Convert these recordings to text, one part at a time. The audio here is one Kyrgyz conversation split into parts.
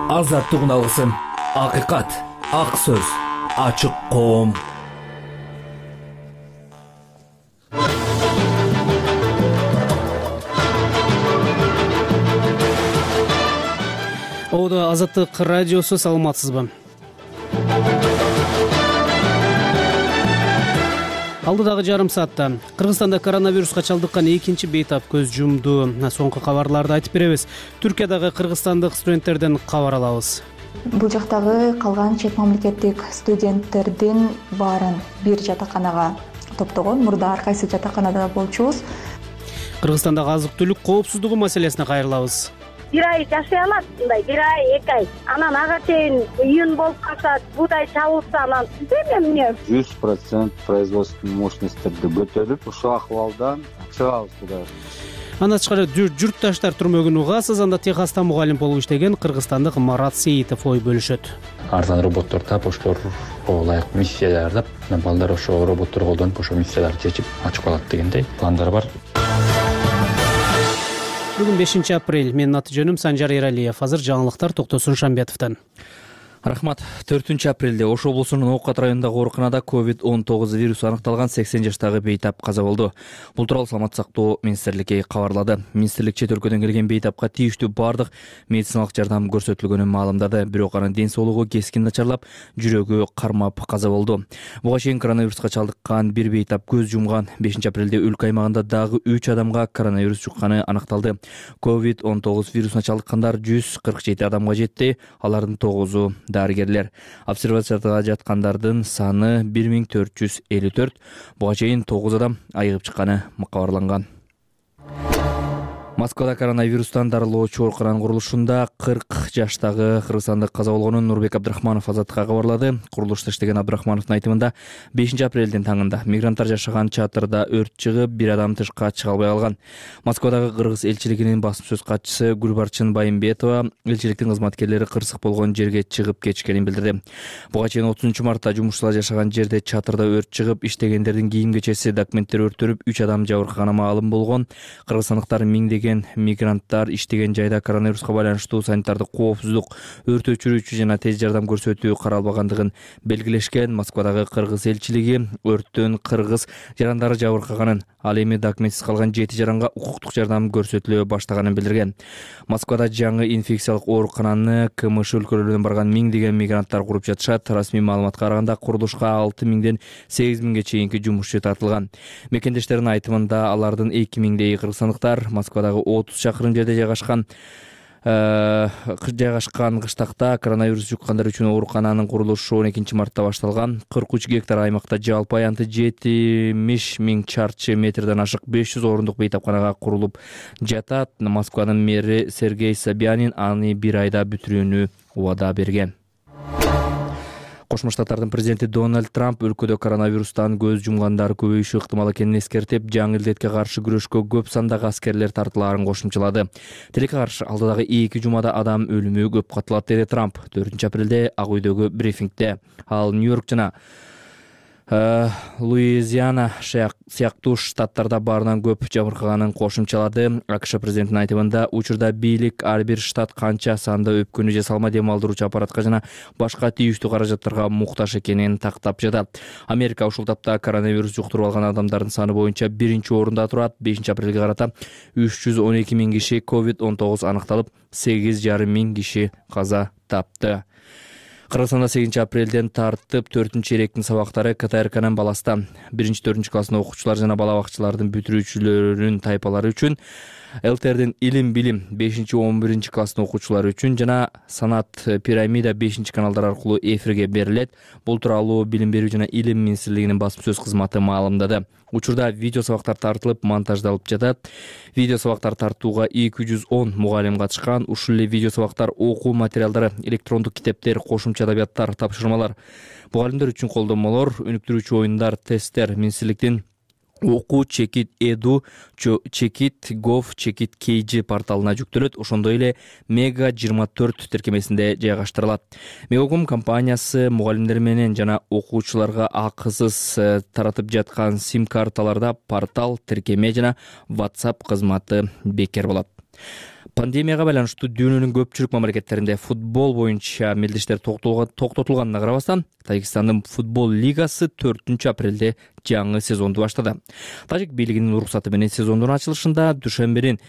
азаттыгын алгысың. Акыйкат, ак сөз, ачык коом. Ода Азаттык радиосу, саламатсызбы? Алдыдагы жарым саатта Кыргызстанда коронавируска чалдыккан экинчи бейтап көз жумду. Соңку кабарларды айтып беребиз. Түркиядагы кыргызстандык студенттерден кабар алабыз. Бул жактагы калган чет мамлекеттик студенттердин баарын бир жатаканага топтогон. Мурда ар кайсы жатаканада болчубуз. Кыргызстандагы азык-түлүк коопсуздугу маселесине кайрылабыз. Бир ай жашай алат, мындай бир ай, 2 ай. Анан ага чейин июнь болуп калса, буудай чабылса, анан эмне 100% производственный мощностьтерди көтөрүп, ушул акыбалдан чыгабыз кудай. Андан тышкары журтташтар түрмөгүн угасыз. Анда Техаста мугалим болуп иштеген кыргызстандык Марат Сейитов ой бөлүшөт. Арзан роботтор таап, ошолорго ылайык миссия даярдап, балдар ошо роботторду колдонуп, ошо миссияларды чечип ачып калат дегендей пландар бар. Бүгүн 5 апрель. Менин аты жөнүм Санжар Эралиев. Азыр жаңылыктар Токтосун Шамбетовдон. Рахмат. 4 апрелде Ош облусунун Оокат районундагы ооруканада COVID-19 вирусу аныкталган 80 жаштагы бейтап каза болду. Бул тууралуу Саламаттык сактоо министрлиги кабарлады. Министрлик чет өлкөдөн келген бейтапка тийиштүү бардык медициналык жардам көрсөтүлгөнүн маалымдады. Бирок анын ден соолугу кескин начарлап, жүрөгү кармап каза болду. Буга чейин коронавируска чалдыккан бир бейтап көз жумган. 5 апрелде өлкө аймагында дагы 3 адамга коронавирус жукканы аныкталды. COVID-19 вирусуна чалдыккандар 147 адамга жетти. Алардын 9-у дарыгерлер. Обсервацияда жаткандардын саны 1454. Буга чейин 9 адам айыгып чыкканы кабарланган. Москвада коронавирустан дарылоочу оорукананын курулушунда 40 жаштагы кыргызстандык каза болгонун Нурбек Абдрахманов Азаттыкка кабарлады. Курулушта иштеген Абдрахмановдун айтымында 5 апрелдин таңында мигранттар жашаган чатырда өрт чыгып, бир адам тышка чыга албай калган. Москвадагы кыргыз элчилигинин басым сөз катчысы Гүлбарчын Байымбетова элчиликтин кызматкерлери кырсык болгон жерге чыгып кетишкенин билдирди. Буга чейин 30 мартта жумушчулар жашаган жерде чатырда өрт чыгып, иштегендердин кийим кечеси, документтери өрттөлүп, 3 адам жабыркаганы маалым болгон. Кыргызстандыктар миңдеген мигранттар иштеген жайда коронавируска байланыштуу санитардык коопсуздук, өрт өчүрүүчү жана тез жардам көрсөтүү каралбагандыгын белгилешкен. Москвадагы кыргыз элчилиги өрттөн кыргыз жарандары жабыркаганын, ал эми документсиз калган 7 жаранга укуктук жардам көрсөтүлө баштаганын билдирген. Москвада жаңы инфекциялык оорукананы КМШ өлкөлөрүнөн барган миңдеген мигранттар куруп жатышат. Расмий маалыматка караганда курулушка 6000ден 8000ге чейинки жумушчу тартылган. Мекендештердин айтымында алардын 2000дей кыргызстандыктар Москвадагы 30 чакырым жерде жайгашкан кыштакта коронавирус жуккандар үчүн оорукананын курулушу 12 мартта башталган. 43 гектар аймакта жалпы аянты 70 000 чарчы метрден ашык 500 орундук бейтапканага курулуп жатат. Москванын мэри Сергей Собянин аны бир айда бүтүрүүнү убада берген. Кошмо Штаттардын президенти Дональд Трамп өлкөдө коронавирустан көз жумгандар көбөйүшү ыктымал экенин эскертип, жаңы илдетке каршы күрөшкө көп сандагы аскерлер тартылаарын кошумчалады. Тилекке каршы алдыдагы 2 жумада адам өлүмү көп катылат, деди Трамп 4 апрелде Ак үйдөгү брифингде. Ал Нью-Йорк жана Луизиана сыяктуу штаттарда баарынан көп жабыркаганын кошумчалады. АКШ президентинин айтымында, учурда бийлик ар бир штат канча санда өпкөнү же салма дем алдыруучу аппаратка жана башка тийиштүү каражаттарга муктаж экенин тактап жатат. Америка ушул тапта коронавирус жуктуруп алган адамдардын саны боюнча 1-орунда турат. 5 апрелге карата 312 000 киши COVID-19 аныкталып, 8,5 миң киши каза тапты. Кыргызстанда 8 апрелден тартып 4-чейректин сабактары КТРКнын баласта 1-4 класстын окуучулар жана бала бакчалардын бүтүрүүчүлөрүнүн тайпалары үчүн, ЛТРдин илим билим 5-11 класстын окуучулары үчүн жана санат пирамида 5-каналдар аркылуу эфирге берилет. Бул тууралуу Билим берүү жана Илим министрлигинин басым сөз кызматы маалымдады. Учурда видео сабактар тартылып, монтаждалып жатат. Видео сабактар тартууга 210 мугалим катышкан. Ушул эле видео сабактар окуу материалдары, электрондук китептер, кошумча адабияттар, тапшырмалар, мугалимдер үчүн колдонмолор, өнүктүрүүчү оюндар, тесттер министрликтин Оку Чекит Эду Чекит Gov Чекит KG порталына жүктөлөт. Ошондой эле Мега 24 тиркемесинде жайгаштырылат. Мегаком компаниясы мугалимдер менен жана окуучуларга акысыз таратып жаткан сим карталарда портал, тиркеме жана WhatsApp кызматы бекер болот. Пандемияга байланыштуу дүйнөнүн көпчүлүк мамлекеттеринде футбол боюнча мелдештер токтотулганына карабастан, Тажикстандын футбол лигасы 4-апрелде жаңы сезонду баштады. Тажик бийлигинин уруксаты менен сезондун ачылышында дүйшөмбүнүн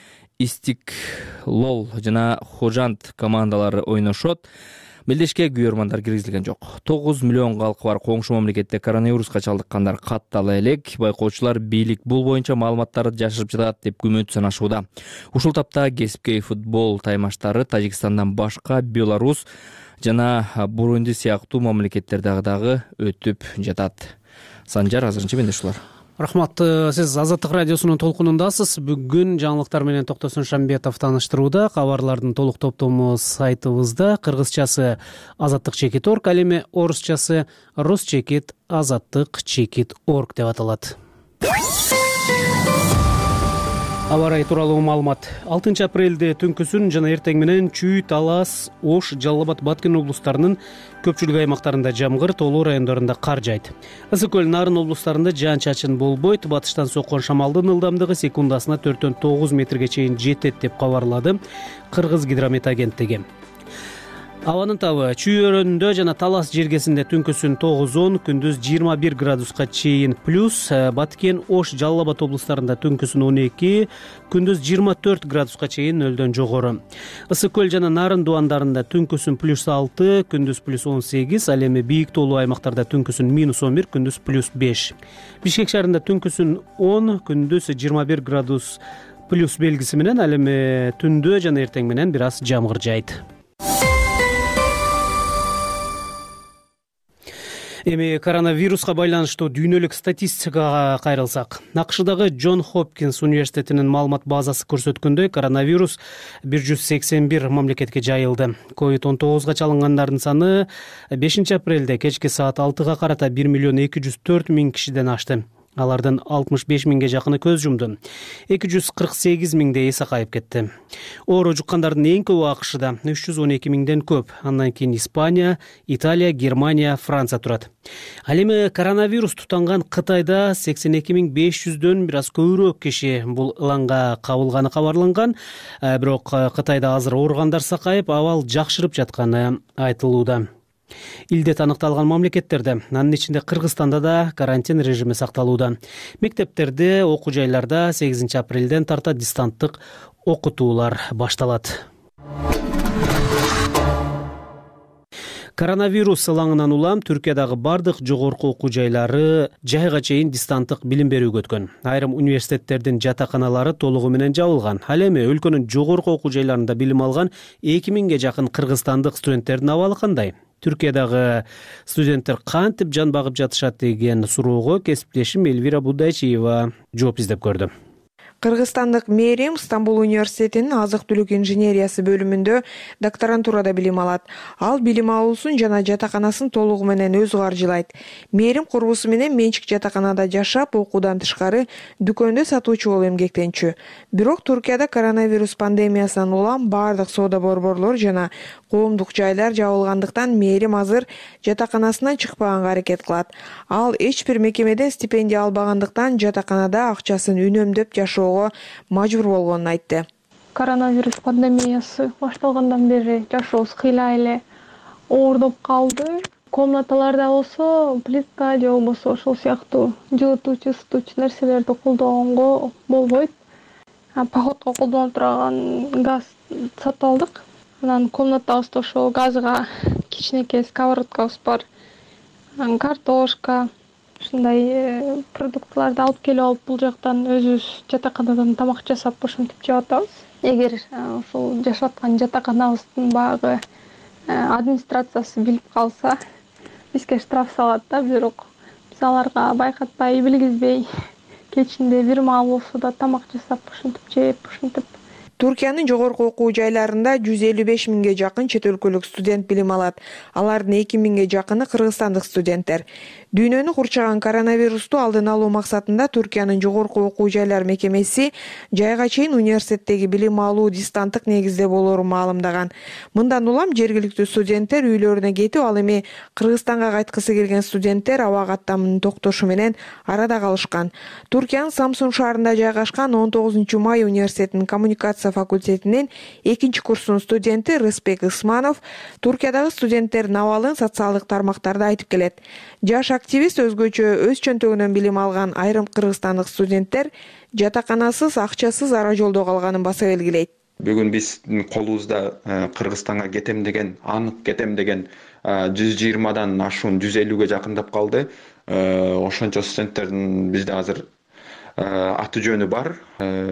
Истиклол жана Хожанд командалары ойношот. Мелдешке күйөрмандар киргизилген жок. 9 миллион калкы бар коңшу мамлекетте коронавируска чалдыккандар каттала элек. Байкоочулар бийлик бул боюнча маалыматтарды жашырып жатат деп күмөнт санашууда. Ушул тапта кесипкей футбол таймаштары Тажикстандан башка Беларусь жана Бурунди сыяктуу мамлекеттердеги дагы өтүп жатат. Санжар, азырынча менде ушулар. Рахмат. Сиз Азаттык радиосунун толкунундасыз. Бүгүн жаңылыктар менен Токтосун Шамбетов тааныштырууда. Кабарлардын толук топтому сайтыбызда. Кыргызчасы azattik.org, ал эми орусчасы rus-azattik.org деп аталат. Аба ырайы тууралуу маалымат. 6 апрелде түнкүсүн жана эртең менен Чүй, Талас, Ош, Жалал абад, Баткен облустарынын көпчүлүк аймактарында жамгыр, тоолуу райондорунда кар жайт. Ысык көл, Нарын облустарында жаан-чачын болбойт. Батыштан соккон шамалдын ылдамдыгы секундасына 4-9 метрге чейин жетет деп кабарлады Кыргыз гидромет агенттиги. Абанын табы Чүй өрөөнүндө жана Талас жергесинде түнкүсүн 9-10, күндүз 21 градуска чейин плюс. Баткен, Ош, Жалал абад облустарында түнкүсүн 12, күндүз 24 градуска чейин нөлдөн жогору. Ысык көл жана Нарын дубандарында түнкүсүн +6, күндүз +18, ал эми бийик тоолуу аймактарда түнкүсүн -11, күндүз +5. Бишкек шаарында түнкүсүн 10, күндүз 21 градус плюс белгиси менен, ал эми түндө жана эртең менен бир аз жамгыр жайт. Эми коронавируска байланыштуу дүйнөлүк статистикага кайрылсак. АКШдагы Джон Хопкинс университетинин маалымат базасы көрсөткөндөй, коронавирус 181 мамлекетке жайылды. COVID-19 чалынгандардын саны 5 апрелде кечки саат 6-га карата 1 миллион 204 миң кишиден ашты. Алардын 65 миңге жакыны көз жумду. 248 миңдей эс кайып кетти. Оору жуккандардын эң көбү АКШда 312 миңден көп. Андан кийин Испания, Италия, Германия, Франция турат. Ал эми коронавирус тутанган Кытайда 82.500дөн бир аз көбүрөөк киши бул ыланга кабылганы кабарланган. Бирок Кытайда азыр ооругандар сакайып, абал жакшырып жатканы айтылууда. Илдет аныкталган мамлекеттерде, анын ичинде Кыргызстанда да карантин режими сакталууда. Мектептерде, окуу жайларда 8 апрелден тарта дистанттык окутуулар башталат. Коронавирус ылаңынан улам Түркиядагы бардык жогорку окуу жайлары жайга чейин дистанттык билим берүүгө өткөн. Айрым университеттердин жатаканалары толугу менен жабылган. Ал эми өлкөнүн жогорку окуу жайларында билим алган 2000ге жакын кыргызстандык студенттердин абалы кандай? Түркиядагы студенттер кантип жан багып жатышат деген суроого кесиптешим Элвира Будайчиева жооп издеп көрдү. Кыргызстандык Мерим Стамбул университетинин азык-түлүк инженериясы бөлүмүндө докторантурада билим алат. Ал билим алуусун жана жатаканасын толугу менен өзү каржылайт. Мерим курбусу менен менчик жатаканада жашап, окуудан тышкары дүкөндө сатуучу болуп эмгектенчү. Бирок Туркияда коронавирус пандемиясынан улам бардык соода борборлор жана коомдук жайлар жабылгандыктан Мерим азыр жатаканасынан чыкпаганга аракет кылат. Ал эч бир мекемеден стипендия албагандыктан жатаканада акчасын үнөмдөп жашоо мажбур болгонун айтты. Коронавирус пандемиясы башталгандан бери жашообуз кыйла эле оордоп калды. Комнаталарда болсо плитка же болбосо ошол сыяктуу жылытуучу, ысытуучу нерселерди колдонгонго болбойт. Походко колдонуп турган газ сатып алдык. Анан комнатабызда ошол газга кичинекей сковородкабыз бар. Картошка, ушундай продуктыларды алып келип алып, бул жактан өзүбүз жатаканадан тамак жасап ошентип жеп атабыз. Эгер ошол жашап аткан жатаканабыздын багы администрациясы билип калса, бизге штраф салат да, бирок биз аларга байкатпай, билгизбей, кечинде бир маал болсо да тамак жасап ошентип жеп, ошентип. Туркиянын жогорку окуу жайларында 155 миңге жакын чет өлкөлүк студент билим алат. Алардын 2 миңге жакыны кыргызстандык студенттер. Дүйнөнү курчаган коронавирусту алдын алуу максатында Туркиянын жогорку окуу жайлар мекемеси жайга чейин университеттеги билим алуу дистанттык негизде болоорун маалымдаган. Мындан улам жергиликтүү студенттер үйлөрүнө кетип, ал эми Кыргызстанга кайткысы келген студенттер аба каттамынын токтошу менен арада калышкан. Туркиянын Самсун шаарында жайгашкан 19 май университетинин коммуникация программасы факультетинин 2-курсунун студенти Рыспек Ысманов Туркиядагы студенттердин абалын социалдык тармактарда айтып келет. Жаш активист өзгөчө өз чөнтөгүнөн билим алган айрым кыргызстандык студенттер жатаканасыз, акчасыз ара жолдо калганын баса белгилейт. Бүгүн биздин колубузда Кыргызстанга кетем деген, анык кетем деген 120дан ашуун 150ге жакындап калды. Ошончо студенттердин бизде азыр аты жөнү бар.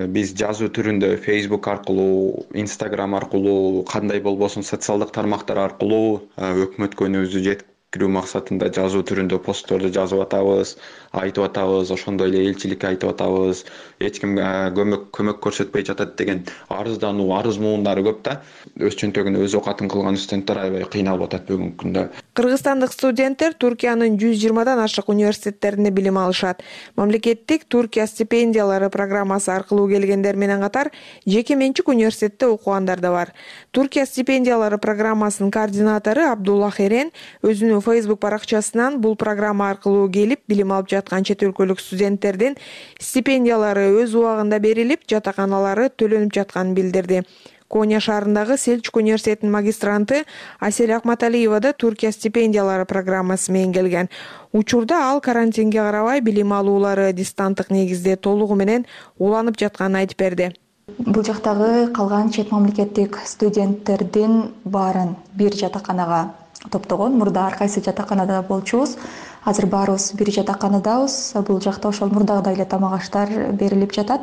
Биз жазуу түрүндө Facebook аркылуу, Instagram аркылуу, кандай болбосун социалдык тармактар аркылуу өкмөткө үнүбүздү жеткирүү максатында жазуу түрүндө постторду жазып атабыз, айтып атабыз, ошондой эле элчиликке айтып атабыз. Эч ким көмөк көрсөтпөй жатат деген арыздануу, арыз муундары көп да. Өз чөнтөгүнө өз окатын кылган студенттер аябай кыйналып атат бүгүнкү күндө. Кыргызстандык студенттер Туркиянын 120дан ашык университеттеринде билим алышат. Мамлекеттик Туркия стипендиялары программасы аркылуу келгендер менен катар жеке менчик университетте окугандар да бар. Туркия стипендиялары программасынын координатору Абдулла Херен өзүнүн Facebook баракчасынан бул программа аркылуу келип билим алып жаткан чет өлкөлүк студенттердин стипендиялары өз убагында берилип, жатаканалары төлөнүп жатканын билдирди. Коня шаарындагы Селчук университетинин магистранты Асель Акматалиева да Туркия стипендиялары программасы менен келген. Учурда ал карантинге карабай билим алуулары дистанттык негизде толугу менен уланып жатканын айтып берди. Бул жактагы калган чет мамлекеттик студенттердин баарын бир жатаканага топтогон. Мурда ар кайсы жатаканада болчубуз. Азыр баарыбыз бир жатаканадабыз. Бул жакта ошол мурдагыдай эле тамак аштар берилип жатат.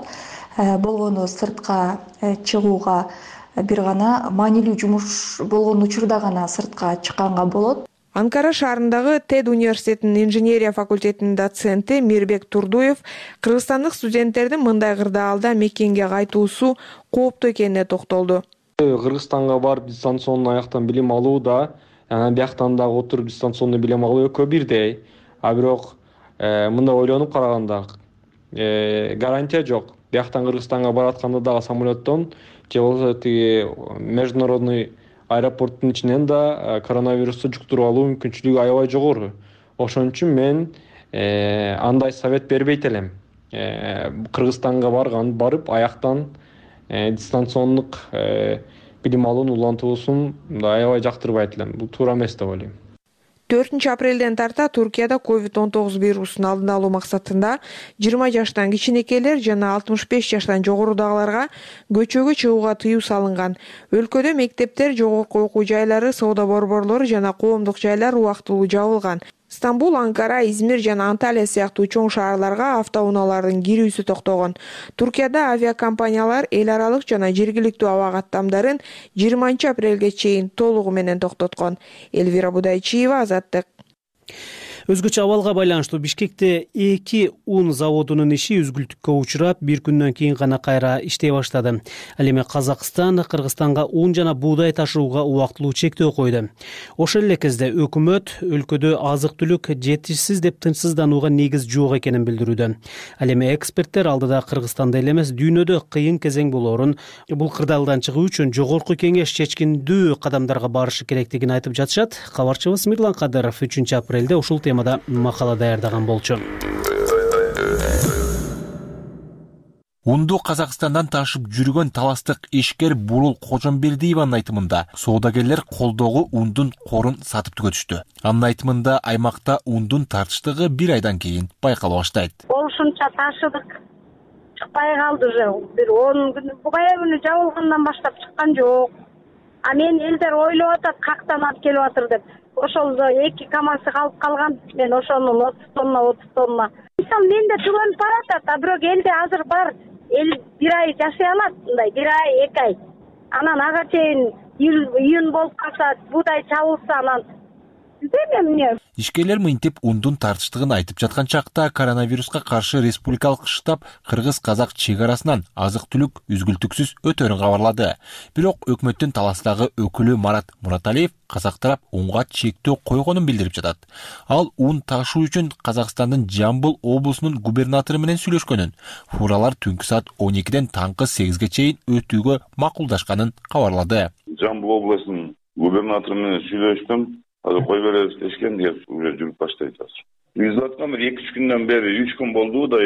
Болгону сыртка чыгууга бир гана маанилүү жумуш болгон учурда гана сыртка чыкканга болот. Анкара шаарындагы TED университетинин инженерия факультетинин доценти Мирбек Турдуев кыргызстандык студенттердин мындай кырдаалда мекенге кайтуусу кооптуу экенине токтолду. Кыргызстанга барып дистанционный аяктан билим алуу да, бияктан дагы отуруп дистанционный билим алуу экөө бирдей. Бирок мындай ойлонуп караганда гарантия жок. Бияктан Кыргызстанга баратканда дагы самолеттон же болбосо тиги международный аэропорттун ичинен да коронавирусту жуктуруп алуу мүмкүнчүлүгү аябай жогору. Ошон үчүн мен андай совет бербейт элем. Кыргызстанга барып аяктан дистанциондук билим алуунун улантуусун аябай жактырбайт элем. Бул туура эмес деп ойлойм. 4 апрелден тарта Туркияда COVID-19 вирусун алдын алуу максатында 20 жаштан кичинекейлер жана 65 жаштан жогорудагыларга көчөгө чыгууга тыюу салынган. Өлкөдө мектептер, жогорку окуу жайлары, соода борборлору жана коомдук жайлар убактылуу жабылган. Стамбул, Анкара, Измир жана Анталия сыяктуу чоң шаарларга автоунаалардын кирүүсү токтогон. Туркияда авиакомпаниялар эл аралык жана жергиликтүү аба каттамдарын 20 апрелге чейин толугу менен токтоткон. Элвира Будайчиева, Азаттык. Өзгөчө абалга байланыштуу Бишкекте 2 ун заводунун иши үзгүлтүккө учурап, бир күндөн кийин гана кайра иштей баштады. Ал эми Казакстан Кыргызстанга ун жана буудай ташууга убактылуу чектөө койду. Ошол эле кезде өкмөт өлкөдө азык-түлүк жетишсиз деп тынчсызданууга негиз жок экенин билдирүүдө. Ал эми эксперттер алдыда Кыргызстанда эле эмес, дүйнөдө кыйын кезең болоорун, бул кырдаалдан чыгуу үчүн жогорку кеңеш чечкиндүү кадамдарга барышы керектигин айтып жатышат. Кабарчыбыз Мирлан Кадыров 3 апрелде ушул макала даярдаган болчу. Унду Казакстандан ташып жүргөн таластык ишкер Бурул Кожомбердиеванын айтымында соодагерлер колдогу ундун корун сатып түгөтүштү. Анын айтымында аймакта ундун тартыштыгы 1 айдан кийин байкала баштайт. Ошончо ташыдык, чыкпай калды уже. Бир 10 күн, бая күнү жабылгандан баштап чыккан жок. А мен элдер ойлоп атат, кактан алып келип атыр деп. Ошол 2 камазы калып калган, мен ошонун 30 тонна. Мисалы менде түгөнүп баратат, а бирок элде азыр бар. Эл 1 ай жашай алат, мындай 1 ай, 2 ай. Анан ага чейин июнь болуп калса, буудай чабылса, анан Ишкерлер мынтип ундун тартыштыгын айтып жаткан чакта коронавируска каршы республикалык штаб кыргыз-казак чек арасынан азык-түлүк үзгүлтүксүз өтөрүн кабарлады. Бирок өкмөттүн таластагы өкүлү Марат Мураталиев казак тарап унга чектөө койгонун билдирип жатат. Ал ун ташуу үчүн Казакстандын Жамбыл облусунун губернатору менен сүйлөшкөнүн, фуралар түнкү саат 12ден таңкы 8ге чейин өтүүгө макулдашканын кабарлады. Жамбыл облусунун губернатору менен сүйлөштүм. Азыр кой беребиз дешкен деп уже жүрүп баштайт азыр. Биз аткан бир 2-3 күндөн бери 3 күн болду да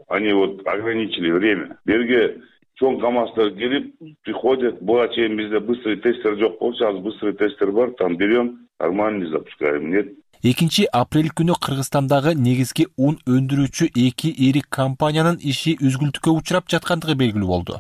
они вот ограничили время. Берге чоң КамАЗдар келип приходят. Буга чейин бизде быстрый тестер жок болчу, азыр быстрый тестер бар. Там берем, нормально запускаем. Нет. 2 апрель күнү Кыргызстандагы негизги ун өндүрүүчү 2 ири компаниянын иши үзгүлтүккө учурап жаткандыгы белгилүү болду.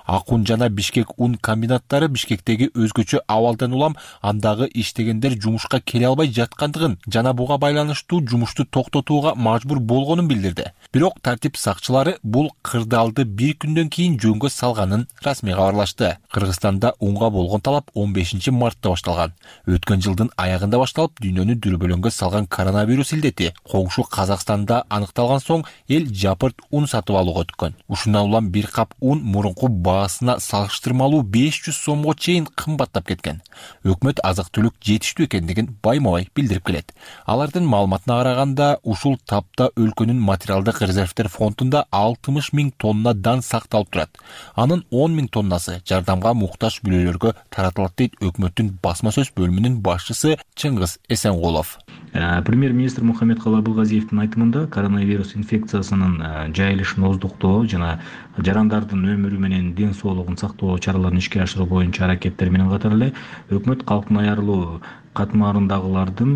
Ак ун жана Бишкек ун комбинаттары Бишкектеги өзгөчө абалдан улам андагы иштегендер жумушка келе албай жаткандыгын жана буга байланыштуу жумушту токтотууга мажбур болгонун билдирди. Бирок тартип сакчылары бул кырдаалды бир күндөн кийин жөнгө салганын расмий кабарлашты. Кыргызстанда унга болгон талап 15 мартта башталган. Өткөн жылдын аягында башталып, дүйнөнү дүрбөлөңгө салган коронавирус илдети коңшу Казакстанда аныкталган соң эл жапырт ун сатып алууга өткөн. Ушундан улам бир кап ун мурунку баасына салыштырмалуу 500 сомго чейин кымбаттап кеткен. Өкмөт азык-түлүк жетиштүү экендигин байма-бай билдирип келет. Алардын маалыматына караганда, ушул тапта өлкөнүн материалдык резервдер фондунда 60 000 тонна дан сакталып турат. Анын 10 000 тоннасы жардамга муктаж бүлөлөргө таратылат дейт өкмөттүн басма сөз бөлүмүнүн башчысы Чыңгыз Эсенгулов. Премьер-министр Мухаммедкалый Абылгазиевдин айтымында коронавирус инфекциясынын жайылышын оздуктоо жана жарандардын өмүрү менен ден соолугун сактоо чараларын ишке ашыруу боюнча аракеттер менен катар эле өкмөт калктын аярылуу катмарындагылардын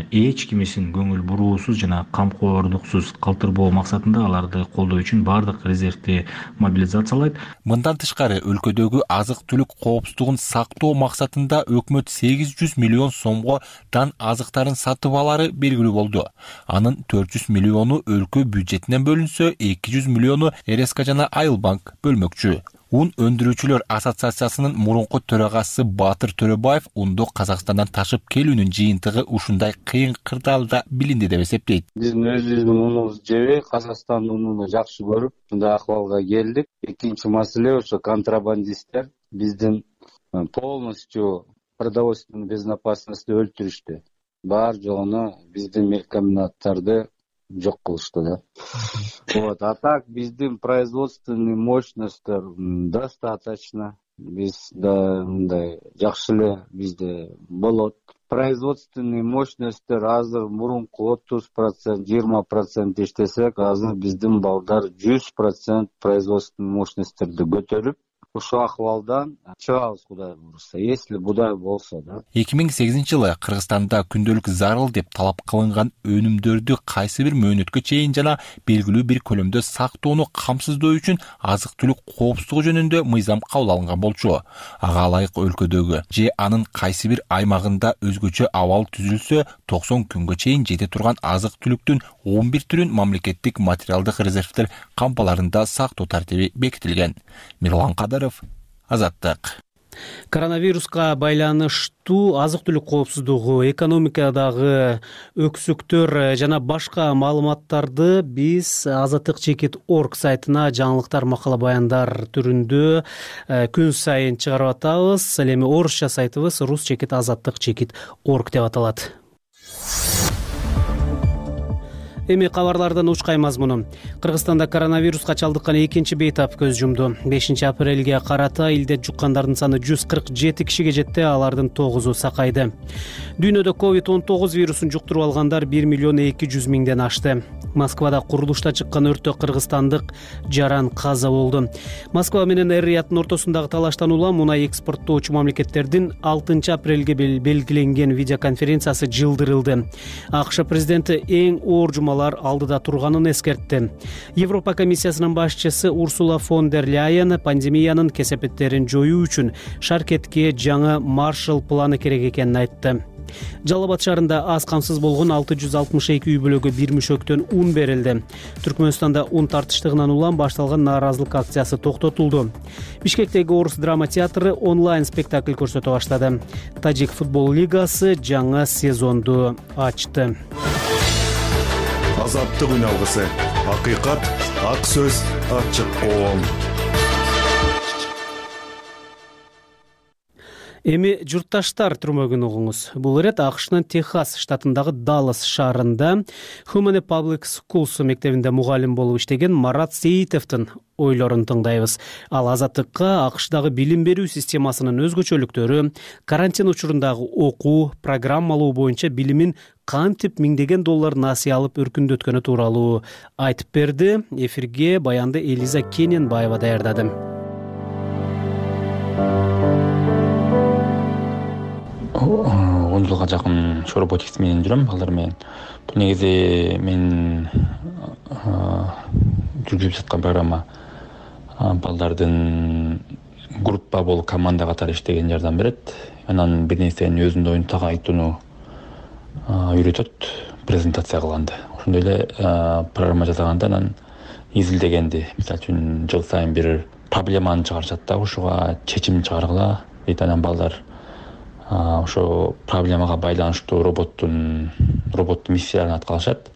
эч кимисин көңүл буруусуз жана камкордуксуз калтырбоо максатында аларды колдоо үчүн бардык резервди мобилизациялайт. Мындан тышкары өлкөдөгү азык-түлүк коопсуздугун сактоо максатында өкмөт 800 миллион сомго дан азыктарын сатып алары белгилүү болду. Анын 400 миллиону өлкө бюджетинен бөлүнсө, 200 миллиону РСК жана Айылбанк бөлмөкчү. Ун өндүрүүчүлөр ассоциациясынын мурунку төрагасы Батыр Төрөбаев унду Казакстандан ташып келүүнүн жыйынтыгы ушундай кыйын кырдаалда билинди деп эсептейт. Биздин өзүбүздүн унубузду жебей, Казакстандын унун жакшы көрүп, мындай акыбалга келдик. Экинчи маселе ошо контрабандисттер биздин полностью продовольственный безопасностьты өлтүрүштү. Бар жогуна биздин мелкомбинаттарды жок кылышты да. Вот, а так биздин производственный мощностьтер достаточно. Бизде мындай жакшы эле бизде болот. Производственный мощностьтер азыр мурунку 30%, 20% иштесек, азыр биздин балдар 100% производственный мощностьтерди көтөрүп, ушул акыбалдан чыгабыз, Кудай буюрса, если Будай болсо да. 2008-жылы Кыргызстанда күндөлүк зарыл деп талап кылынган өнүмдөрдү кайсы бир мөөнөткө чейин жана белгилүү бир көлөмдө сактоону камсыздоо үчүн азык-түлүк коопсуздугу жөнүндө мыйзам кабыл алынган болчу. Ага ылайык өлкөдөгү же анын кайсы бир аймагында өзгөчө абал түзүлсө, 90 күнгө чейин жете турган азык-түлүктүн 11 түрүн мамлекеттик материалдык резервдер кампаларында сактоо тартиби бекитилген. Мирлан Кадаров, Азаттык. Коронавируска байланыштуу азык-түлүк коопсуздугу, экономикадагы өксүктөр жана башка маалыматтарды биз Азаттык.org сайтына жаңылыктар, макала баяндар түрүндө күн сайын чыгарып атабыз. Ал эми орусча сайтыбыз rus-azattik.org деп аталат. Эми кабарлардан учкай мазмуну. Кыргызстанда коронавируска чалдыккан экинчи бейтап көз жумду. 5 апрелге карата илдет жуккандардын саны 147 кишиге жетти, алардын 9-у сакайды. Дүйнөдө COVID-19 вирусун жуктуруп алгандар 1,2 миллион ашты. Москвада курулушта чыккан өрттө кыргызстандык жаран каза болду. Москва менен Эр-Рияттын ортосундагы талаштан улам мунай экспорттоочу мамлекеттердин 6 апрелге белгиленген видеоконференциясы жылдырылды. АКШ президенти эң оор жумалар алдыда турганын эскертти. Европа комиссиясынын башчысы Урсула фон дер Ляйен пандемиянын кесепеттерин жоюу үчүн шаркетке жаңы Маршалл планы керек экенин айтты. Жалал Абад шаарында аз камсыз болгон 662 үй бүлөгө бир мүшөктөн ун берилди. Түркмөнстанда ун тартыштыгынан улам башталган нааразылык акциясы токтотулду. Бишкектеги Орус драма театры онлайн спектакль көрсөтө баштады. Тажик футбол лигасы жаңы сезонду ачты. Азаттык үн алгысы. Акыйкат, ак сөз, ачык коом. Эми журтташтар түрмөгүн угуңуз. Бул ирет АКШнын Техас штатындагы Даллас шаарында Humane Public Schools мектебинде мугалим болуп иштеген Марат Сейитовдун ойлорун тыңдайбыз. Ал Азаттыкка АКШдагы билим берүү системасынын өзгөчөлүктөрү, карантин учурундагы окуу, программалоо боюнча билимин кантип миңдеген доллар насыя алып өркүндөткөнү тууралуу айтып берди. Эфирге баянды Элиза Кененбаева даярдады. 10 жылга жакын ушу роботикс менен жүрөм, балдар менен. Бул негизи мен жүргүзүп жаткан программа балдардын группа болуп команда катары иштеген жардам берет. Анан бир нерсени өзүнүн оюнтага айтууну үйрөтөт, презентация кылганда. Ошондой эле программа жасаганда анан изилдегенди, мисалы үчүн жыл сайын бир проблеманы чыгарышат да, ушуга чечим чыгаргыла дейт. Анан балдар ошо проблемага байланыштуу роботтун миссияларын аткарышат.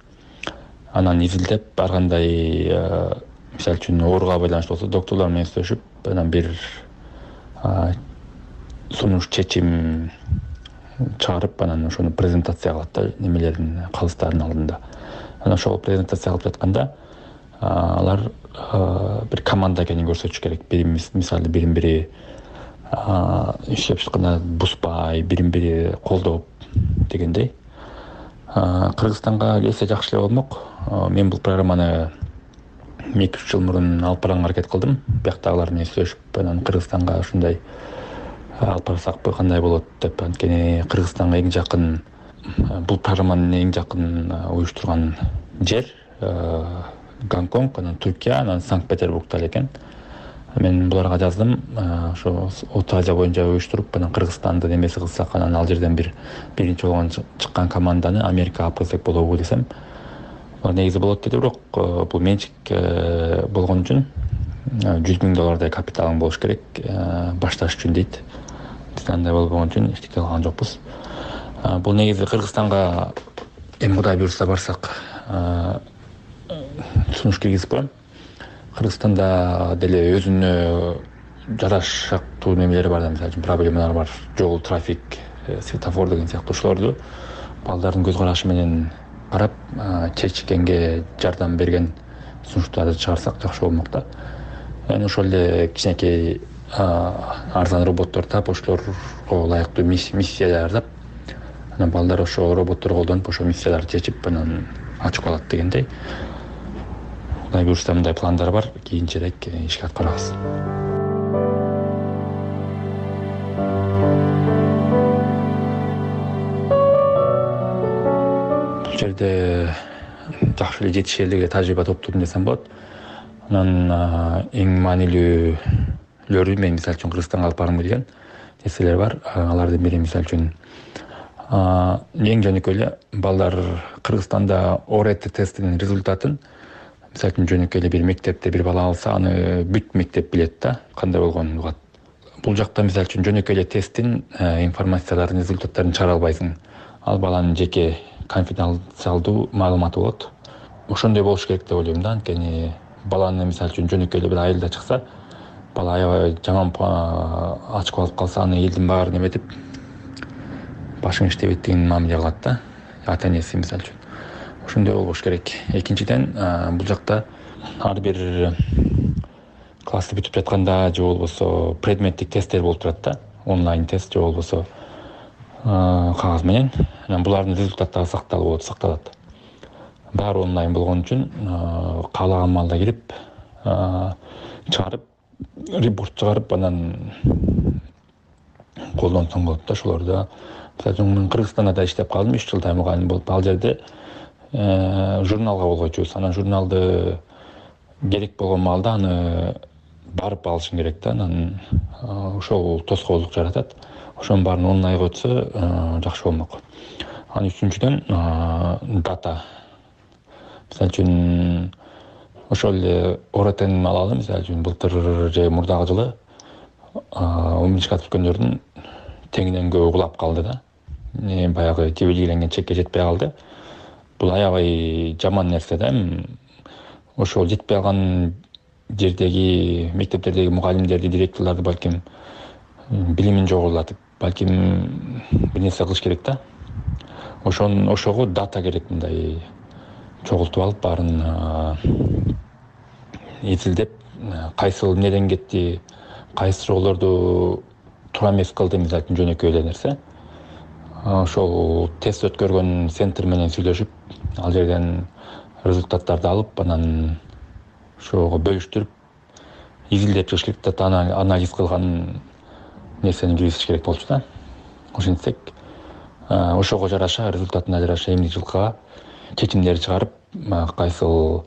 Анан изилдеп, ар кандай мисалы үчүн ооруга байланыштуу болсо докторлор менен сүйлөшүп, анан бир сунуш чечим чыгарып, анан ошону презентация кылат да, немелердин калыстардын алдында. Анан ошол презентация кылып жатканда алар бир команда экенин көрсөтүш керек. Мисалы бирин-бири иштеп жатканда бузбай, бирин-бири колдоп дегендей. Кыргызстанга келсе жакшы эле болмок. Мен бул программаны 2-3 жыл мурун алып барганга аракет кылдым. Бияктагылар менен сүйлөшүп, анан Кыргызстанга ушундай алып барсакпы, кандай болот деп. Анткени Кыргызстанга эң жакын, бул программаны эң жакын уюштурган жер Гонконг, анан Түркия, анан Санкт-Петербургда экен. Мен буларга жаздым, ошо Орто Азия боюнча уюштуруп, анан Кыргызстанды немеси кылсак, анан ал жерден биринчи болгон чыккан команданы Америкага алып келсек болобу десем. Алар негизи болот деди, бирок бул менчик болгон үчүн $100,000 капиталың болуш керек башташ үчүн дейт. Биз андай болбогон үчүн эчтеке кылган жокпуз. Бул негизи Кыргызстанга эми Кудай буйрса барсак сунуш киргизип коем. Кыргызстанда деле өзүнө жарашактуу немелери бар да, мисалы үчүн проблемалар бар. Жол, трафик, светофор деген сыяктуу ушуларды балдардын көз карашы менен карап, чечкенге жардам берген сунуштарды чыгарсак жакшы болмок да. Эми ошол эле кичинекей арзан роботтор таап, ошолорго ылайыктуу миссия даярдап, анан балдар ошо роботторду колдонуп, ошо миссияларды чечип, анан ачып алат дегендей. Кудай буйрса мындай пландар бар, кийинчерээк ишке аткарабыз. Бул жерде жакшы эле жетишерлик тажрыйба топтодум десем болот. Анан эң маанилүүлөрү мен мисалы үчүн Кыргызстанга алып баргым келген нерселер бар. Алардын бири мисалы үчүн эң жөнөкөй эле балдар Кыргызстанда ОРТ тестинин результатын мисалы үчүн жөнөкөй эле бир мектепте бир бала алса, аны бүт мектеп билет да, кандай болгонун угат. Бул жакта мисалы үчүн жөнөкөй эле тесттин информацияларын, результаттарын чыгара албайсың. Ал баланын жеке конфиденциалдуу маалыматы болот. Ошондой болуш керек деп ойлойм да, анткени баланы мисалы үчүн жөнөкөй эле бир айылда чыкса, бала аябай жаман ачып алып калса, аны элдин баары неметип башың иштебейт деген мамиле кылат да, ата энеси мисалы үчүн. Ошондой болбош керек. Экинчиден, бул жакта ар бир классты бүтүп жатканда же болбосо предметтик тесттер болуп турат да, онлайн тест же болбосо кагаз менен. Анан булардын результаттары сакталат. Баары онлайн болгон үчүн каалаган маалда кирип, чыгарып, репорт чыгарып, анан колдонсоң болот да ошолорду. Мисалы үчүн мен Кыргызстанда да иштеп калдым, 3 жылдай мугалим болуп. Ал жерде журналга болгойчубуз. Анан журналды керек болгон маалда аны барып алышың керек да. Анан ошол тоскоолдук жаратат. Ошонун баарын онлайнга өтсө жакшы болмок. Анан үчүнчүдөн дата. Мисалы үчүн ошол эле ОРТны алалы, мисалы үчүн былтыр же мурдагы жылы 11 класс бүткөндөрдүн теңинен көбү кулап калды да. Баягы белгиленген чекке жетпей калды. Бул аябай жаман нерсе да. Ошол жетпей калган жердеги мектептердеги мугалимдерди, директорлорду балким билимин жогорулатып, балким бир нерсе кылыш керек да. Ошого дата керек, мындай чогултуп алып, баарын изилдеп, кайсыл эмнеден кетти, кайсы суроолорду туура эмес кылды, мисалы үчүн жөнөкөй эле нерсе. Ошол тест өткөргөн центр менен сүйлөшүп, ал жерден результаттарды алып, анан ошого бөлүштүрүп, изилдеп чыгыш керек да, анализ кылган нерсени киргизиш керек болчу да. Ошентсек ошого жараша результатына жараша эмне жылкыга чечимдер чыгарып кайсыл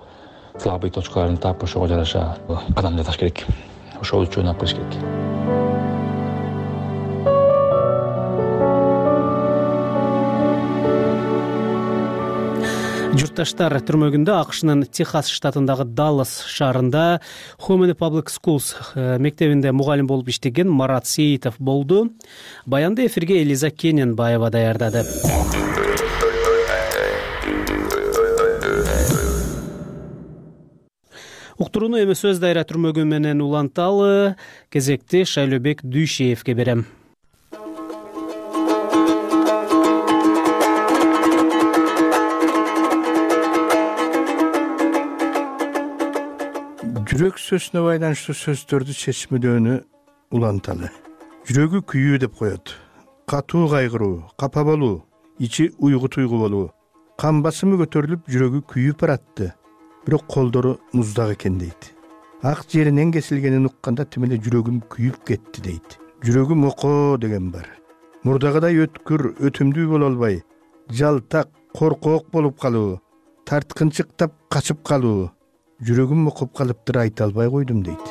слабый точкаларын таап ошого жараша кадам жасаш керек, ошол үчүн ойноп кылыш керек. Журтташтар, түрмөгүндө АКШнын Техас штатындагы Даллас шаарында Hominy Public Schools мектебинде мугалим болуп иштеген Марат Сейитов болду. Баянды эфирге Элиза Кененбаева даярдады. Уктурууну эми сөз дайра түрмөгү менен уланталы. Кезекти Шайлообек Дүйшеевке берем. Жүрөк сөзүнө байланыштуу сөздөрдү чечмелөөнү уланталы. Жүрөгү күйүү деп коет. Катуу кайгыруу, капа болуу, ичи уйгу туйгу болуу. Кан басымы көтөрүлүп, жүрөгү күйүп баратты. Бирок колдору муздак экен дейт. Ак жеринен кесилгенин укканда тим эле жүрөгүм күйүп кетти дейт. Жүрөгүм окоо деген бар. Мурдагыдай өткүр, өтүмдүү боло албай, жалтак, коркоок болуп калуу, тарткынчыктап качып калуу. Жүрөгүм окуп калыптыр, айта албай койдум дейт.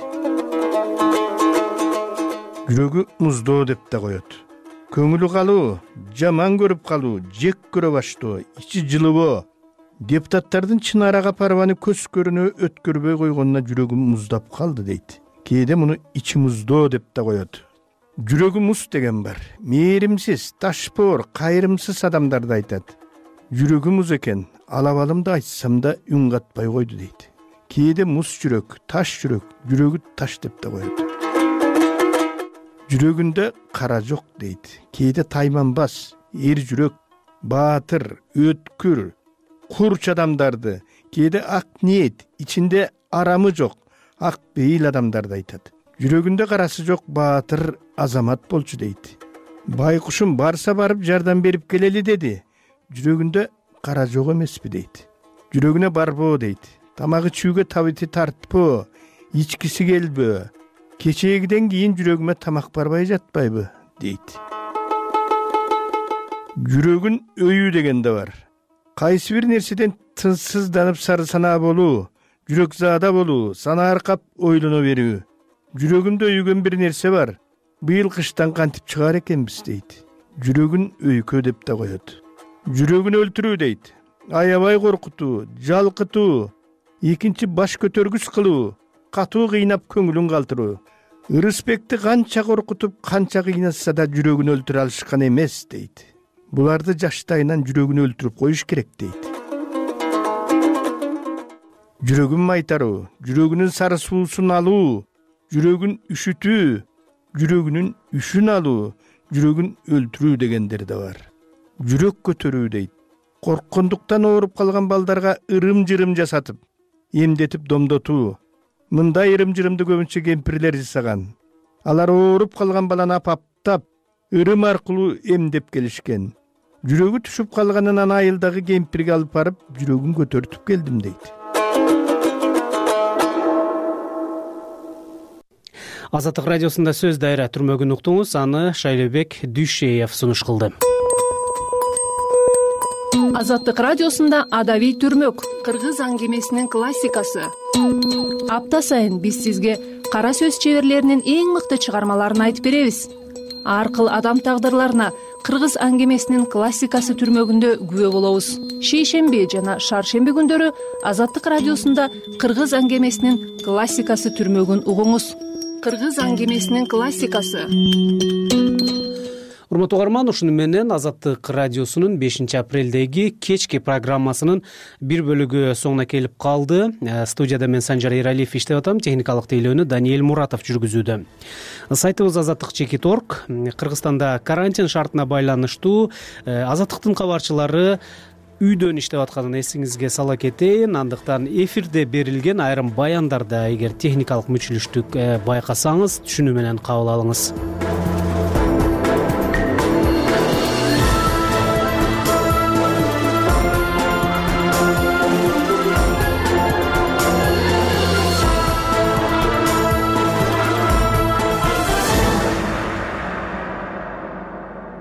Жүрөгү муздоо деп да коет. Көңүлү калуу, жаман көрүп калуу, жек көрө баштоо, ичи жылыбоо. Депутаттардын Чынара Капарованы көз көрүнө өткөрбөй койгонуна жүрөгүм муздап калды дейт. Кээде муну ичи муздоо деп да коет. Жүрөгү муз деген бар. Мээримсиз, ташпоор, кайрымсыз адамдарды айтат. Жүрөгү муз экен, алабалымды айтсам да үн катпай койду дейт. Кээде муз жүрөк, таш жүрөк, жүрөгү таш деп да коет. Жүрөгүндө кара жок дейт. Кээде тайманбас, эр жүрөк, баатыр, өткүр, курч адамдарды, кээде ак ниет, ичинде арамы жок, ак бейил адамдарды айтат. Жүрөгүндө карасы жок баатыр азамат болчу дейт. Байкушум барса барып жардам берип келели деди. Жүрөгүндө кара жок эмеспи дейт. Жүрөгүнө барбоо дейт. Тамагы чүүгө табити тартпоо, ичкиси келбөө. Кечээгиден кийин жүрөгүмө тамак барбай жатпайбы дейт. Жүрөгүн өйүү деген да бар. Кайсы бир нерседен тынчсызданып сары санаа болуу, жүрөк заада болуу, санаа аркап ойлоно берүү. Жүрөгүмдө өйгөн бир нерсе бар. Быйыл кыштан кантип чыгаар экенбиз дейт. Жүрөгүн өйкө деп да коет. Жүрөгүн өлтүрүү дейт. Аябай коркутуу, жалкытуу, экинчи баш көтөргүс кылуу, катуу кыйнап көңүлүн калтыруу. Ырысбекти канча коркутуп, канча кыйнатса да жүрөгүн өлтүрө алышкан эмес дейт. Буларды жаштайынан жүрөгүн өлтүрүп коюш керек дейт. Жүрөгүн майтаруу, жүрөгүнүн сары суусун алуу, жүрөгүн үшүтүү, жүрөгүнүн үшүн алуу, жүрөгүн өлтүрүү дегендер да бар. Жүрөк көтөрүү дейт. Корккондуктан ооруп калган балдарга ырым-жырым жасатып, эмдетип домдотуу. Мындай ырым-жырымды көбүнчө кемпирлер жасаган. Алар ооруп калган баланы апаптап, ырым аркылуу эмдеп келишкен. Жүрөгү түшүп калганынан айылдагы кемпирге алып барып, жүрөгүн көтөртүп келдим дейт. Азаттык радиосунда сөз дайра түрмөгүн уктуңуз, аны Шайлообек Дүйшеев сунуш кылды. Азаттык радиосунда Адабий түрмөк, кыргыз аңгемесинин классикасы. Апта сайын биз сизге кара сөз чеберлеринин эң мыкты чыгармаларын айтып беребиз. Ар кыл адам тагдырларына кыргыз аңгемесинин классикасы түрмөгүндө күбө болобуз. Шейшемби жана шаршемби күндөрү Азаттык радиосунда кыргыз аңгемесинин классикасы түрмөгүн угуңуз. Кыргыз аңгемесинин классикасы. Урматтуу угарман, ушуну менен Азаттык радиосунун 5 апрелдеги кечки программасынын бир бөлүгү соңуна келип калды. Студияда мен Санжар Эралиев иштеп атам, техникалык тейлөөнү Даниэль Муратов жүргүзүүдө. Сайтыбыз azаттык.org. Кыргызстанда карантин шартына байланыштуу Азаттыктын кабарчылары үйдөн иштеп атканын эсиңизге сала кетейин. Андыктан эфирде берилген айрым баяндарды эгер техникалык мүчүлүштүк байкасаңыз, түшүнүү менен кабыл алыңыз.